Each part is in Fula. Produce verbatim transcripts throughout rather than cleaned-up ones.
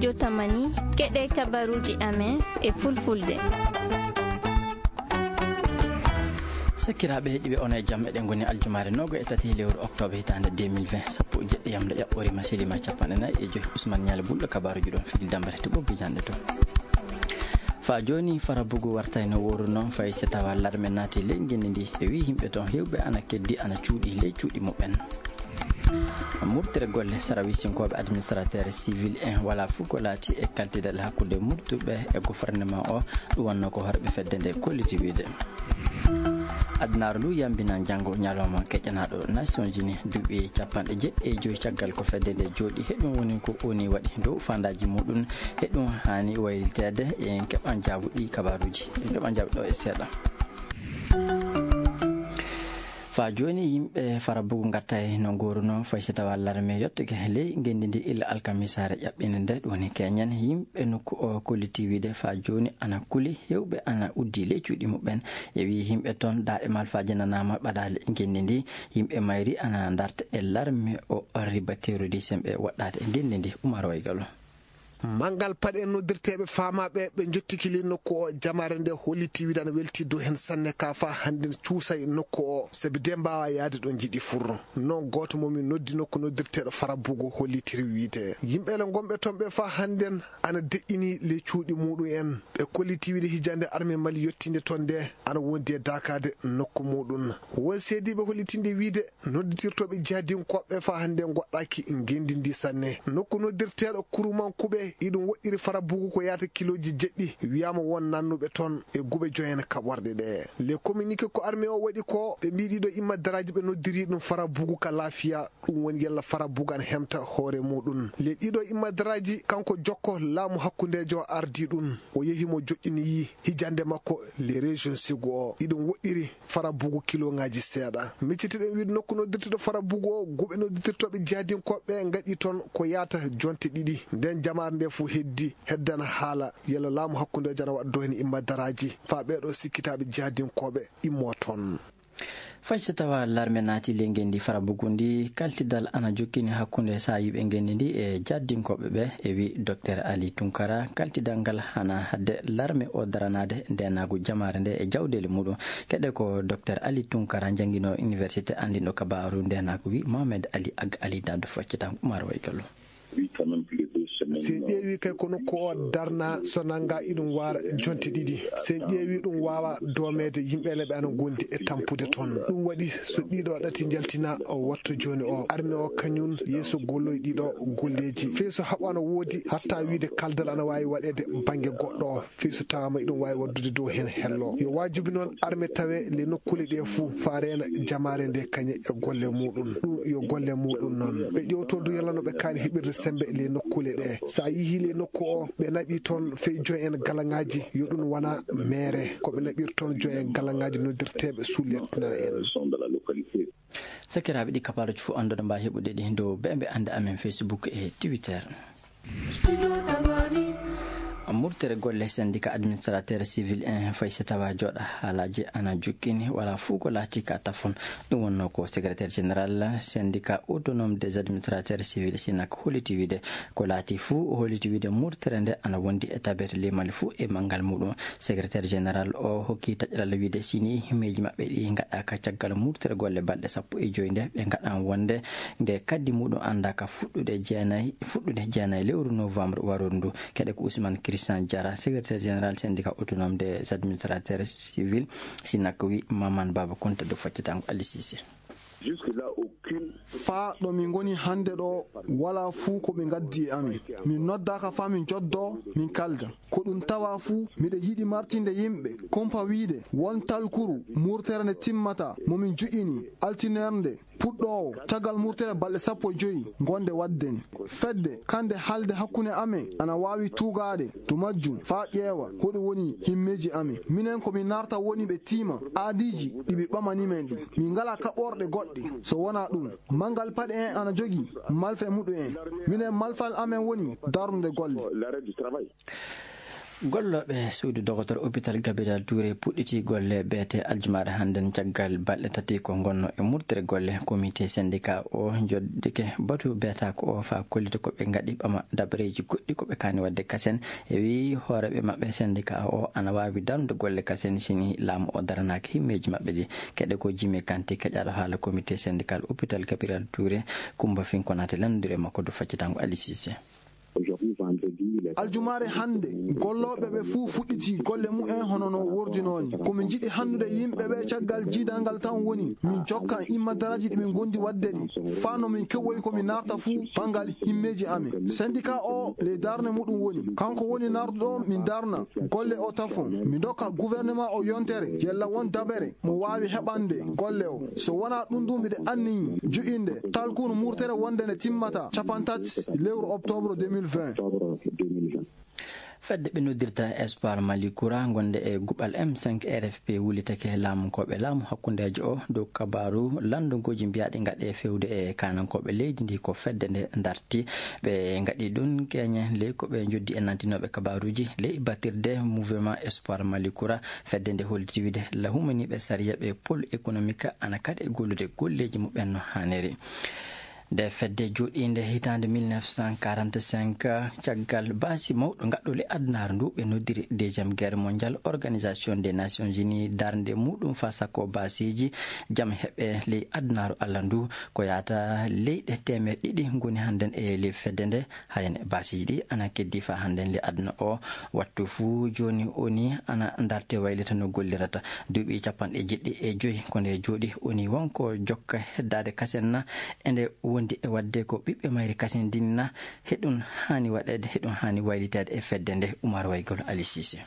Jotamani, keɗe kabaruuji amen e fulfulde. Sakiraaɓe heɗiiɓe, on e jam. Eɗen ngoni aljumaare noogo e tati lewru oktoobre hitaande deux mille vingt, sappo e jeɗɗi yamle ƴaɓɓoori ma silima capanɗe nayi e joy. Usman Ñaali Bulɗo, kabaaruuji ɗon figil dambere to ɓoggi janɗe to. Faa jooni, Farabugu wartay no wooruno, fay so tawa larme naati ley ngenndi ndi, e wii yimɓe ton heewɓe ana keddi, ana cuuɗi ley cuuɗi muɓɓen. Murtere golle sarawisinkooɓe administrateur civil en wala fuu ko laati e kaltidal hakkunde murtuɓe e gouvernement o, ɗum wonno ko horɓe fedde nde kolliti wiide. Adunaaru ndu yambinan janngo ñalawma keƴanaaɗo Nations Unies, duuɓi capanɗe jeɗɗi e joy caggal ko fedde nde jooɗi. He ɗum woni ko oni waɗi dow faandaaji muɗum. He ɗum haani wayliteede. En keɓan jaabuɗi kabaaruuji. En keɓan jaabuɗi ɗo e seeɗa. Faa jooni, yimɓe Farabugu ngattay no ngooruno, fay so tawa larme yottake ley ngenndi ndi illa alkamisaare ƴaɓɓinde nde. Ɗum woni keñen yimɓe nokku o kolliti wiide faa jooni ana kuli, heewɓe ana uddi ley cuuɗi muɓɓen. E wii yimɓe ton daaɗe malfaaje nanaama ɓadaali ngenndi ndi. Yimɓe mayri ana ndarta e larme o riba terrorisme ɓe waɗɗaade ngenndi ndi. Umar Waygalo. Manngal paɗe noddirteeɓe faamaaɓe ɓe njottiki ley nokku o, jamaare nde holliti wiide ana welti dow heen sanne ka faa hannden cuusay nokku o, sabi de mbaawa yahde ɗo njiɗi fur. Noon gooto mo min noddi nokku noddirteeɗo Farabugu hollitiri wiide yimɓe le ngonɓe toon ɓe faa hannden ana deƴƴini ley cuuɗi muɗum en. Ɓe kolliti wiide hijande arme Mali yottiinde toon nde ana wondi e daakaade nokku muɗum. Won seediiɓe hollitinde wiide nodditirtooɓe jihadinkooɓe faa hannde ngoɗɗaaki ngenndi ndi sanne. Nokku noddirteeɗo Kurumankuɓe, iɗum woɗɗiri Farabugu ko yaata kilooji jeɗɗi, wiyaama won nannuɓe toon e guɓe joyen kaɓorɗe ɗe. Le communiqué ko armée o waɗi ko, ɓe mbii ɗiɗo immadaraaji ɓe noddiri ɗum Farabugu ka laafiya, ɗum woni yalla Farabugu ana hemta hoore muɗum. Le ɗiɗo immadaraaji, kanko jokko laamu hakkundeejo ardii ɗum, o yehi mo joƴƴini hijande makko le région Ségou o, iɗum woɗɗiri Farabugu kiloŋaaji seeɗa. Miccitiɗen wiide nokku noddirteeɗo Farabugu o, guɓe noddirtooɓe jihadinkooɓe ngaɗi toon ko yaata jonte ɗiɗi. Nden jamaare nde fuu heddi, heddana haala yalla laamu hakkundeejo ana waɗa dow heen immadaraaji, faa ɓeeɗo sikkitaaɓe jihadinkooɓe immoo toon. Fay so tawa larme naati ley ngenndi Farabugu ndi, kaltidal ana jokkini hakkunde saayiiɓe ngenndi ndi e jihadinkooɓe ɓe, e wii Doktor Ali Tunkara, kaltidal ngal hana hadde larme o daranaade ndeenaagu jamaare nde e jawdeeli muɗum. Keɗe ko Doktor Ali Tunkara, njannginoowo université, anndinɗo kabaaru ndeenaagu, wii Mohamed Ali Ag Ali Dado. Foccita Umar Waygalo. Sen ƴeewi kay ko nokku o darna so nannga iɗum waara jonte ɗiɗi. Sen ƴeewi ɗum waawa doomeede, yimɓe ne ɓe ana ngondi e tampude toon. Ɗum waɗi so ɗiɗo ɗati njaltina o wattu jooni o. Arme o kañum yeeso golloy ɗiɗo golleeji. Fey so haɓano woodi hatta wiide kaldal ana waawi waɗeede bannge goɗɗo o. Fii so tawaama iɗum waawi waɗdude dow heen hello. Yo waajibi noon arme tawe le nokkuule ɗe fuu faa reena jamaare nde kañe e golle muuɗum. Ɗum yo golle muuɗum noon. Ɓe ƴewto du yalla no ɓe kaani heɓirde semmbe le nokkuule ɗe. So a yihii le nokku o, ɓe naɓi toon fey joy en galaŋaaji, yo ɗum wona meere. Ko ɓe naɓir toon joy en galaŋaaji noddirteeɓe sous-lieutenant en. Sakiraaɓe, ɗi kabaaruuji fof annduɗo mbaa heɓude ɗi dow beembe annde amen Facebook e Twitter. Murtere golle syndicat administrateur civil en fay so tawa jooɗa haalaaji ana jukkini wala fuu ko laati ka tafon. Ɗum wonno ko secrétaire général syndicat autonome des administrateurs civils, sinak, holliti wiide. Ko laati fuu, o holliti wiide murtere nde ana wondi e tabere limali fuu e manngal muɗum. Secrétaire général o hokki taƴral wiide sini himmeeji maɓɓe ɗi ngaɗaaka caggal murtere golle balɗe sappo e joy nde, ɓe ngaɗan wonde nde kaddi muɗum anndaaka fuɗɗude jeenayi, fuɗɗude jeenayi lewru novembre warooru ndu. Keɗe ko Ousmane Christian Diarra, secrétaire général syndicat autonome des administrateurs civils, sinak, wi Maman Baba Kounta dow faccatango Ali Cissé. Faa ɗo min ngoni hannde ɗo, walaa fuu ko ɓe ngaddi e amin. Min noddaaka faa min njoddoo, min kalda. Ko ɗum tawa fuu, miɗo yiɗi martinde yimɓe, kumpa wiide, won talkuru, murtere nde timmataa, mo min ju'ini, altineer nde, puɗɗoowo, caggal murtere balɗe sappo e joy, ngonde waɗde ni. Fedde, kande haalde hakkunde amen, ana waawi tuugaade to majjum, faa ƴeewa, hoɗum woni himmeeji amen. Minen ko min narta woni ɓe tiima, aadiiji ɗi ɓe ɓamani men ɗi. Min ngalaa kaɓorɗe goɗɗe, so wonaa ɗum. Manngal paɗe en ana jogii, malfe muɗum en. Minen malfal amen woni darnude golle. Gollooɓe suudu dogotor hôpital Gabriel Touré puɗɗiti golle beete aljumaare hannden caggal balɗe tati ko ngonno e murtere golle. Comité syndicat o joddike batu beetaako o faa kollita ko ɓe ngaɗi ɓama dabareeji goɗɗi ko ɓe kaani waɗde kasen. E wii hooreeɓe maɓɓe syndicat o ana waawi darnude golle kasen sini laamu o daranaaki himmeeji maɓɓe ɗi. Keɗe ko Jimi Kanti keƴaaɗo haala comité syndical hôpital Gabriel Touré. Kumba Finkonaate lanndude makko du faccitango Aliou Cissé. Aljumaare hannde, gollooɓe ɓe fuu fuɗɗitii golle mumen hono no wordinoo ni. Ko min njiɗi hanndude yimɓe ɓe caggal jiidal ngal tan woni min jokkan imma daraaji ɗi min ngondi waɗde ɗi, faa no min keɓoyi ko min naarta fuu banngal himmeeji amen. Syndicat o ley darnde muɗum woni, kanko woni naarduɗo min darna golle o tafon. Mi ndokka gouvernement o yontere yalla won dabere mo waawi heɓande golle o. So wonaa ɗum ɗum miɗo anniyi joƴinde talkuru murtere wonde nde timmata capanɗe tati lewru octobre deux mille vingt. Fedde ɓe noddirta Espoir Mali Kura gonde e guɓal M cinq R F P wulitake laamunkooɓe laamu hakkundeejo o dow kabaaru lanndogooji mbiyaaɗi ngaɗe fewde e kaanankooɓe leydi ndi ko fedde nde darti. Ɓe ngaɗi ɗum keñe ley ko ɓe njoddi e nantinooɓe kabaaruuji ley battirde mouvement Espoir Mali Kura. Fedde nde holliti wide la humaniiɓe sariya ɓe pôle économique ana kaɗe gollude golleeji muɓɓen no haaniri. Nde fedde jooɗiinde hitaande mille neuf cent quarante-cinq, caggal baasi mawɗo ngaɗɗo ley adunaaru ndu ɓe noddiri deuxième guerre mondiale, organisation des nations unies darnde muɗum faa sakko baasiiji jam heɓe ley adunaaru Allah ndu. Ko yaata leyɗe teemeɗe ɗiɗi ngoni hannden e ley fedde nde. Hayen baasiiji ɗi ana keddi faa hannden ley aduna o. Wattu fuu jooni oni ana ndarte waylita no gollirata. Duuɓi capanɗe jeɗɗi e joyi ko nde jooɗi oni wonko jokka heddaade kasen na e nde wondi e waɗde ko ɓiɓɓe mayri kasen ndin na. Heɗum haani waɗeede, heɗum haani wayliteede e fedde nde. Umar Waygol Ali Cissé.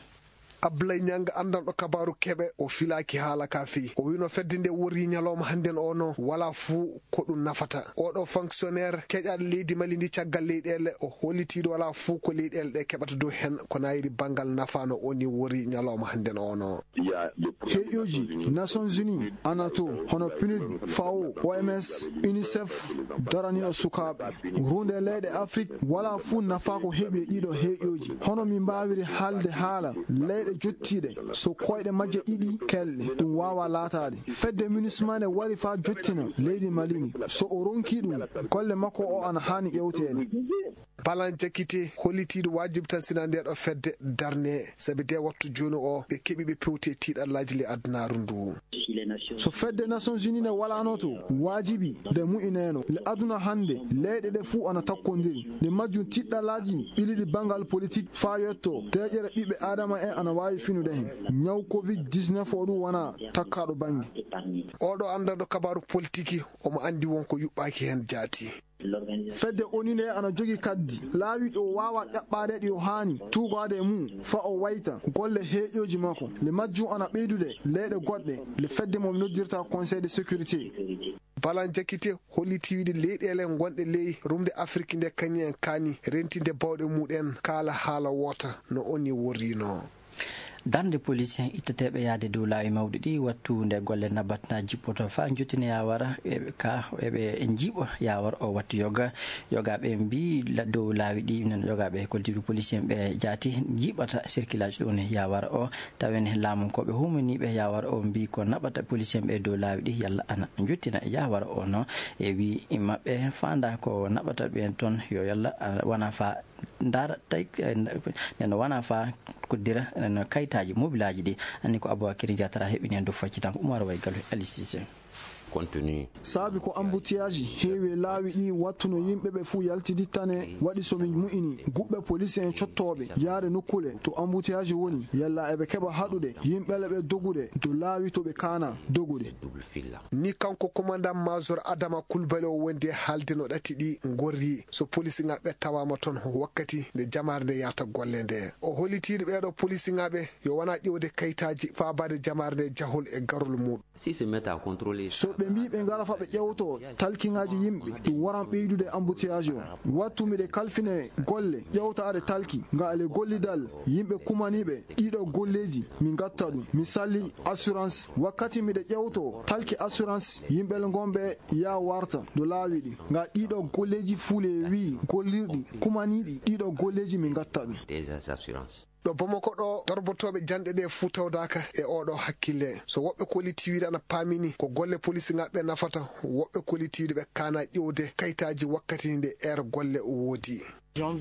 Ablaye Niang, anndanɗo kabaaru keɓe, o filaaki haala ka fii. O wiino fedde nde worri ñalawma hannden o no, walaa fuu ko ɗum nafata. Oɗo fonctionnaire keƴaaɗo leydi Mali ndi caggal leyɗeele, o hollitiiɗo walaa fuu ko leyɗeele ɗe keɓata dow hen ko naayiri banngal nafa no o ni worri ñalawma hannden o no. Heƴooji Nations Unies, anato, hono PNUD, FAO, O M S, UNICEF, daraniiɗo sukaaɓe. Ruunde leyɗe Afrik walaa fuu nafaa ko heɓi e ɗiɗo heƴooji. Hono min mbaawiri haalde haala leyɗe jottiiɗe, so koyɗe majje ɗiɗi kelɗe, ɗum waawaa laataade. Fedde MINUSMA ne wari faa jottina leydi Mali ndi. So o ronkii ɗum, golle makko o ana haani ƴeewteede. Balan Jakite, hollitiiɗo waajibi tan sina ndeeɗo fedde darne, sabi de wattu jooni o, ɓe keɓi ɓe pewti e tiiɗallaaji ley adunaaru ndu. So fedde Nations Unies nde walaano to, waajibi nde mu'ineeno. Le aduna hannde, leyɗe ɗe fuu ana takkondiri. Nde majjum tiiɗallaaji ɓiliɗi banngal politik faa yetto deeƴere ɓiɓɓe Aadama en ana waawi finude hen. Ñaw covid dix-neuf o ɗum wonaa takkaaɗo bannge. Oɗo anndanɗo kabaaru politiki, omo anndi won ko yuɓɓaaki hen jaati. Fedde O N U nde ana jogii kaddi laawi ɗi o waawaa ƴaɓɓaade ɗi o haani tuugaade e mum faa o wayta golle heƴooji makko. Le majjum ana ɓeydude leyɗe goɗɗe le fedde mo mi noddirta Conseil de sécurité. Balan Jakite holliti wiide leyɗeele gonɗe ley rumde Afrik nde kañum en kaani rentinde bawɗe muɗen kaala haala woota no O N U worrino. Darnde police en itteteeɓe yahde dow laawi mawɗi ɗi wattu nde golle naɓata na jippoto faa njottina yaawara ka eɓe njiiɓa yaawara o wattu yoga. Yogaaɓe mbii dow laawi ɗi noon yogaaɓe koltiiɓe police en ɓe jaati njiiɓata circulage ɗum yaawara o. Tawen laamunkooɓe humaniiɓe yaawara o mbii ko naɓata police en ɓe dow laawi ɗi yalla ana njottina yaawara o no e wii maɓɓe faanda ko naɓata ɓen toon yo yalla wona faa ndaara tawi neno wona faa koddira no kayitaaji mobilaaji ɗi. Anni ko Abubakar Jatara heɓini en dow faccitanko Umar Waygalu e Ali Cissé. Saabi ko embouteillage heewi e laawi ɗi wattuno yimɓe ɓe fuu yaltidittane waɗi so min mu'ini guɓɓe police en cottooɓe yaade nokkule to embouteillage woni yalla eɓe keɓa haɗude yimɓe le ɓe dogude dow laawi to ɓe kaana dogude. Ni kanko commandant major Adama Kulbali o wondi e haalde no ɗati ɗi ngorri so police ŋaɓɓe tawaama toon wakkati nde jamaare nde yahata golle nde. O hollitiino ɓeeɗo police ŋaɓɓe yo wona ƴeewde kayitaaji faabaade jamaare nde jahol e garol muɗum. So ɓe mbii ɓe ngara faa ɓe ƴeewtoo talkiŋaaji yimɓe ɗum waran ɓeydude embouteillage o. Wattu miɗe kalfine golle ƴeewtaade talki nga ale gollidal yimɓe kumaniiɓe ɗiɗo golleeji mi ngatta ɗum mi salli assurance wakkati miɗe ƴeewtoo talki assurance yimɓe le ngonɓe yaa warta do laawi ɗi nga ɗiɗo golleeji fuu le wii gollirɗi kumaniiɗi ɗiɗo golleeji mi ngatta ɗum. Ɗo Bamako ɗo, torbotooɓe janɗe ɗe fuu tawdaaka e oo ɗoo hakkille. So woɓɓe kolliti wiyde ana paamini ko golle poliisi ŋaaɓe nafata, woɓɓe kolliti wiyde ɓe kaana ƴeewde kayitaaji wakkati nde heure golle woodi.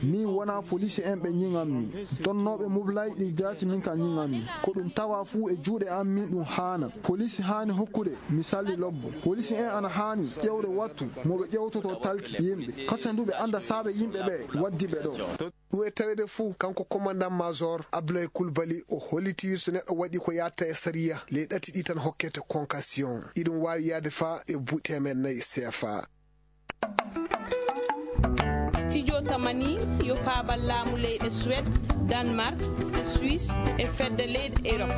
Min wonaa poliisi en ɓe ñiŋan mi. Donnooɓe mublay ɗi jaati min ka ñiŋan mi. Ko ɗum tawa fuu e juuɗe am min ɗum haana. Poliisi haani hokkude mi salli lobbo. Poliisi en ana haani ƴeewde wattu mo ɓe ƴeewtotoo talki yimɓe. Kasen du ɓe annda saabe yimɓe ɓe waddi ɓe ɗo. Ɗum e taweede fuu, kanko commandant major Abdoulaye Coulibaly, o holliti wi so neɗɗo waɗi ko yaatta e sariya, ley ɗati ɗi tan hokkete convocation. Iɗum waawi yaade faa e buuɗi teemeɗɗe nayi C F A. Studio Tamani yo paabal laamu leyɗe Suède, Danemark, Suisse e fedde leyɗe Europe.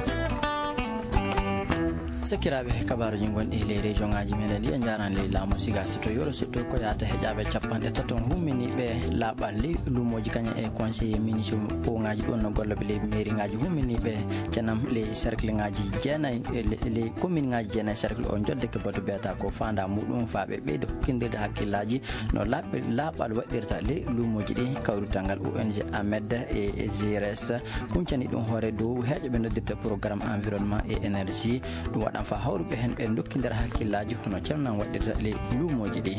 Sakiraaɓe, kabaaruuji gonɗi ley région ŋaaji meɗen ɗi, en njaaraani ley laamu siga so to yoro sutto ko yaata heƴaaɓe capanɗe tato on humminiiɓe laaɓal ley luumooji kañum e conseiller municipal ŋaaji ɗum no gollooɓe ley mairie ŋaaji humminiiɓe cenam ley cercle ŋaaji jeenayi e le-, ley commune ŋaaji jeenayi cercle o jodde ke batu biyata ko faanda muɗum faa ɓe ɓeydo hokkindirde hakkillaaji no laaɓ-, laaɓal waɗirta ley luumooji ɗi. Kawrital ngal O N G Amed e G R S huncani ɗum hoore dow heeƴo ɓe noddirta programme environnement et énergie. Ɗum waɗan faa hawruɓe heen ɓe ndokkindira hakkillaaji hono calnan waɗirta ley luumooji ɗi.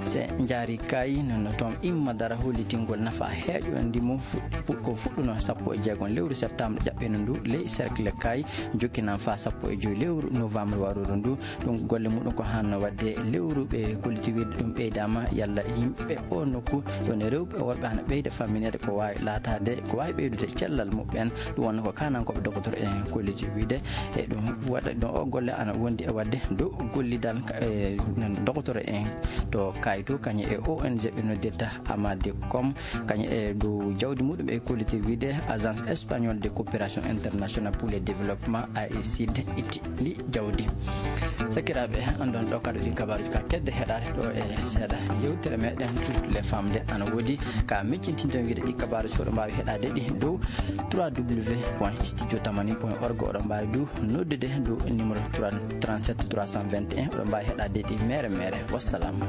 Se njaari kay no, no toon imma dara hollitingol nafa heeƴo ndimu fu-, fu-, ko fuɗɗuno sappo e jeegom lewru septembre ƴaɓɓino ndu ley cercle kay jokkinan faa sappo e joy lewru novembre waruru ndu. Ɗum golle muɗum ko hanno wadde lewru ɓe kolliti wiide ɗum ɓeydaama yalla yimɓe o nokku ɗon e rewɓe e worɓe hana ɓeyda famminede ko waawi laataade, ko waawi ɓeydude cellal muɓɓen. Ɗum wonno ko kaanankooɓe dokotoro en kolliti wiide. E ɗum waɗa ɗon o golle ana wondi e wadde dow gollidal, e, dokotoro en to Kayto, kañum e O N G ɓe noddirta Amade Com, kañum e dow jawdi muɗum e kolliti wiide Agence Espagnole de Coopération Internationale pour le Développement, A E C D, itti ndi jawdi. Sakiraaɓe, anndon ɗo kadi ɗin kabaaruuji ka kedde heɗaade ɗo e seeɗa yewtere meɗen Toutes les Femmes de ana woodi ka miccintinten wiide ɗi kabaaruuji fof ɗo mbaawi heɗaade ɗi dow trois W point studio tamani point org. Oɗon mbaawi du noddude dow numéro trente-sept trois cent vingt et un. Oɗon mbaawi heɗaade ɗi mere mere. Wassalam.